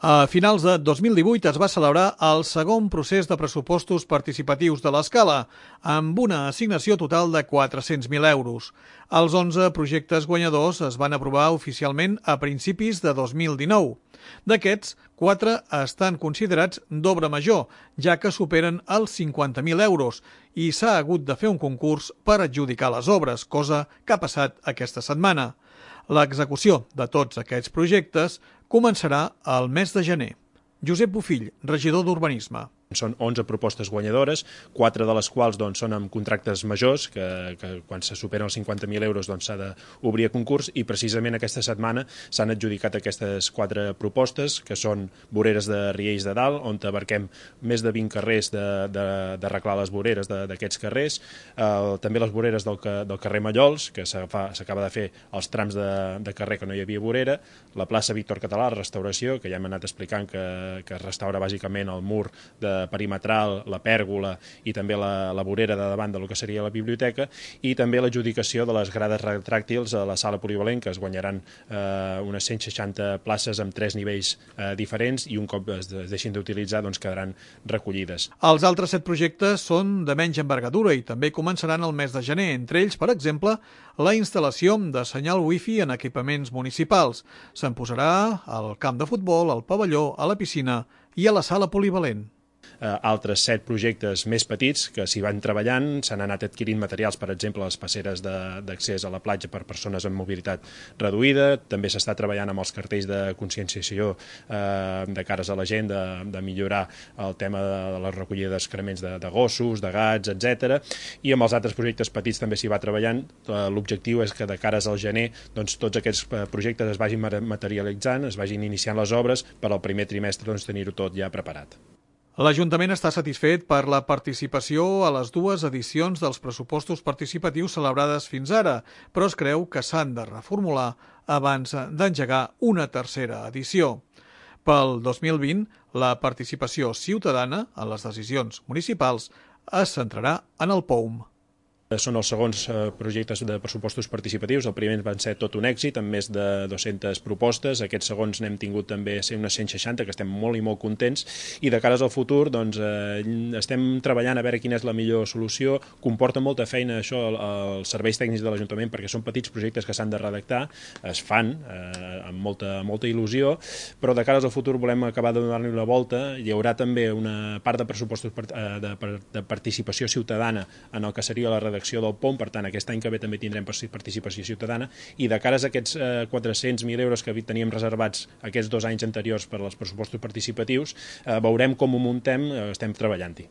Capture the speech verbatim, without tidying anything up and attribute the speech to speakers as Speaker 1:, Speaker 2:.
Speaker 1: A finals de dos mil divuit es va celebrar el segon procés de pressupostos participatius de l'Escala, amb una assignació total de quatre-cents mil euros. Els onze projectes guanyadors es van aprovar oficialment a principis de dos mil dinou. D'aquests, quatre estan considerats d'obra major, ja que superen els cinquanta mil euros, i s'ha hagut de fer un concurs per adjudicar les obres, cosa que ha passat aquesta setmana. L'execució de tots aquests projectes començarà al mes de gener. Josep Bofill, regidor d'Urbanisme.
Speaker 2: Són onze propostes guanyadores, quatre de les quals doncs, són amb contractes majors, que, que quan se superen els cinquanta mil euros doncs, s'ha d'obrir a concurs, i precisament aquesta setmana s'han adjudicat aquestes quatre propostes, que són voreres de Riells de Dalt, on abarquem més de vint carrers d'arreglar les voreres d'aquests carrers, eh, també les voreres del, del carrer Mallols, que s'acaba de fer els trams de, de carrer que no hi havia vorera, la plaça Víctor Català, restauració, que ja hem anat explicant que, que es restaura bàsicament el mur de perimetral, la pèrgola i també la, la vorera de davant del que seria la biblioteca, i també l'adjudicació de les grades retràctils a la sala polivalent, que es guanyaran eh, unes cent seixanta places amb tres nivells eh, diferents, i un cop es deixin d'utilitzar doncs quedaran recollides.
Speaker 1: Els altres set projectes són de menys envergadura i també començaran el mes de gener, entre ells, per exemple, la instal·lació de senyal wifi en equipaments municipals. Se'n posarà al camp de futbol, al pavelló, a la piscina i a la sala polivalent.
Speaker 2: Uh, altres set projectes més petits que s'hi van treballant, s'han anat adquirint materials, per exemple, les passeres d'accés a la platja per persones amb mobilitat reduïda, també s'està treballant amb els cartells de conscienciació uh, de cares a la gent, de, de millorar el tema de la recollida d'excrements de, de gossos, de gats, etcètera. I amb els altres projectes petits també s'hi va treballant. Uh, L'objectiu és que de cares al gener doncs, tots aquests projectes es vagin materialitzant, es vagin iniciant les obres per al primer trimestre doncs, tenir-ho tot ja preparat.
Speaker 1: L'Ajuntament està satisfet per la participació a les dues edicions dels pressupostos participatius celebrades fins ara, però es creu que s'han de reformular abans d'engegar una tercera edició. Pel dos mil vint, la participació ciutadana en les decisions municipals es centrarà en el P O U M.
Speaker 2: Són els segons projectes de pressupostos participatius. El primer van ser tot un èxit, amb més de dues-centes propostes. Aquests segons n'hem tingut també unes cent seixanta, que estem molt i molt contents. I de cares al futur, doncs, eh, estem treballant a veure quina és la millor solució. Comporta molta feina això als serveis tècnics de l'Ajuntament, perquè són petits projectes que s'han de redactar, es fan eh, amb molta, molta il·lusió, però de cares al futur volem acabar de donar-li la volta. Hi haurà també una part de pressupostos de, de participació ciutadana en el que seria la redacció del P O M, per tant aquest any que ve també tindrem participació ciutadana, i de cares a aquests eh, quatre-cents mil euros que teníem reservats aquests dos anys anteriors per als pressupostos participatius, eh, veurem com ho muntem, eh, estem treballant-hi.